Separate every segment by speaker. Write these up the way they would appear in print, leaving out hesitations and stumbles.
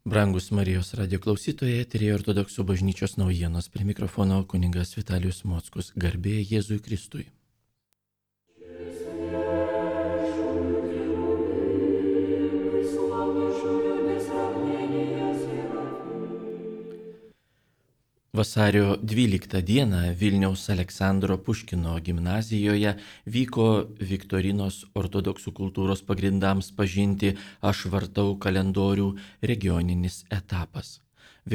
Speaker 1: Brangus Marijos radio klausytojai, eteryje Ortodoksų bažnyčios naujienos, prie mikrofono kunigas Vitalijus Mockus, garbė Jėzui Kristui. Vasario 12 dieną Vilniaus Aleksandro Puškino gimnazijoje vyko Viktorinos ortodoksų kultūros pagrindams pažinti Aš vartau kalendorių regioninis etapas.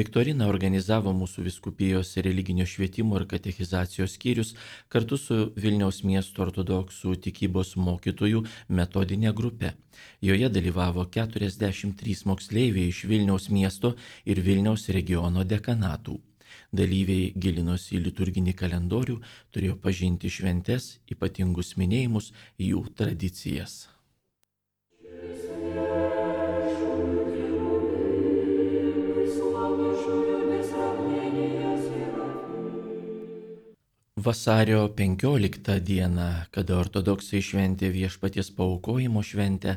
Speaker 1: Viktoriną organizavo mūsų vyskupijos religinio švietimo ir katechizacijos skyrius kartu su Vilniaus miesto ortodoksų tikybos mokytojų metodinė grupė. Joje dalyvavo 43 moksleiviai iš Vilniaus miesto ir Vilniaus regiono dekanatų. Dalyviai gilinosi į liturginį kalendorių, turėjo pažinti šventes, ypatingus minėjimus, jų tradicijas. Vasario 15 dieną, kada ortodoksai šventė Viešpaties paaukojimo šventę,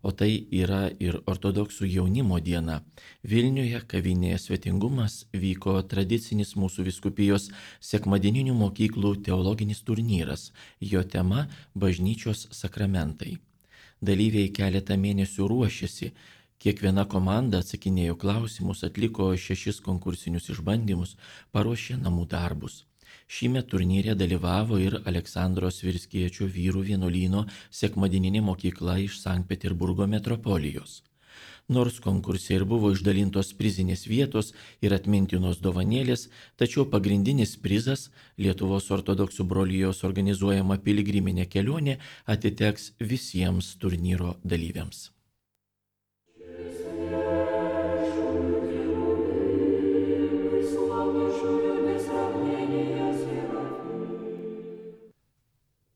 Speaker 1: o tai yra ir ortodoksų jaunimo diena, Vilniuje kavinėje Svetingumas vyko tradicinis mūsų vyskupijos sekmadieninių mokyklų teologinis turnyras, jo tema – bažnyčios sakramentai. Dalyviai keletą mėnesių ruošėsi, kiekviena komanda atsakinėjo klausimus, atliko 6 konkursinius išbandymus, paruošė namų darbus. Šįmet turnyre dalyvavo ir Aleksandro Svirskiečio vyrų vienuolyno sekmadieninė mokykla iš Sankt Peterburgo metropolijos. Nors konkurse ir buvo išdalintos prizinės vietos ir atmintinos dovanėlės, tačiau pagrindinis prizas Lietuvos ortodoksų brolijos organizuojama piligriminė kelionė atiteks visiems turnyro dalyviams.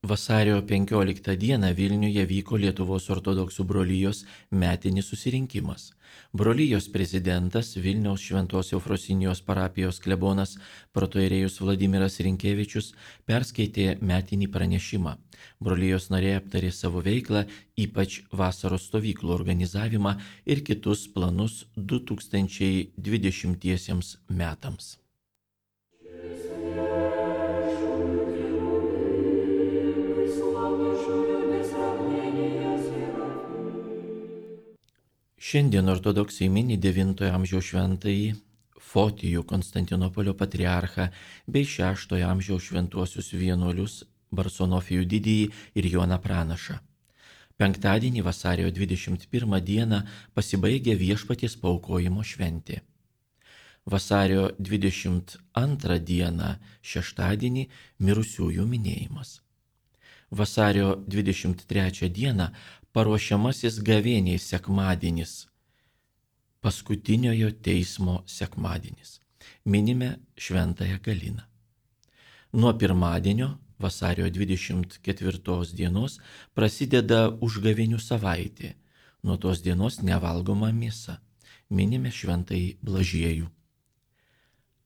Speaker 1: Vasario 15 dieną Vilniuje vyko Lietuvos ortodoksų brolijos metinis susirinkimas. Brolijos prezidentas Vilniaus Šventos Eufrosinijos parapijos klebonas protoierėjus Vladimiras Rinkevičius perskaitė metinį pranešimą. Brolijos nariai aptarė savo veiklą, ypač vasaros stovyklų organizavimą ir kitus planus 2020 metams. Šiandien ortodoksai mini 9 amžiaus šventąjį Fotijų Konstantinopolio patriarchą bei 6 amžiaus šventuosius vienuolius Barsonofijų didįjį ir Joną Pranašą. Penktadienį vasario 21 dieną pasibaigė Viešpaties paaukojimo šventė. Vasario 22 dieną šeštadienį mirusiųjų minėjimas. Vasario 23 dieną paruošiamasis gavėniai sekmadienis, paskutiniojo teismo sekmadienis. Minime šventąją Galiną. Nuo pirmadienio, vasario 24 dienos, prasideda užgavėnių savaitė. Nuo tos dienos nevalgoma mėsa. Minime šventąjį Blažiejų.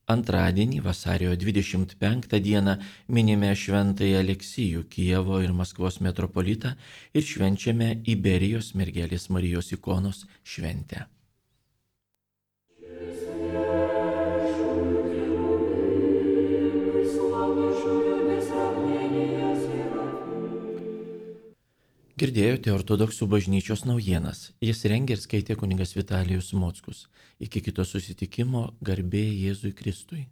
Speaker 1: Antradienį, vasario 25 dieną, minime šventąjį Aleksijų, Kijevo ir Maskvos metropolitą ir švenčiame Iberijos mergelės Marijos ikonos šventę. Girdėjote ortodoksų bažnyčios naujienas. Jas rengė ir skaitė kunigas Vitalijus Mockus. Iki kito susitikimo, garbė Jėzui Kristui.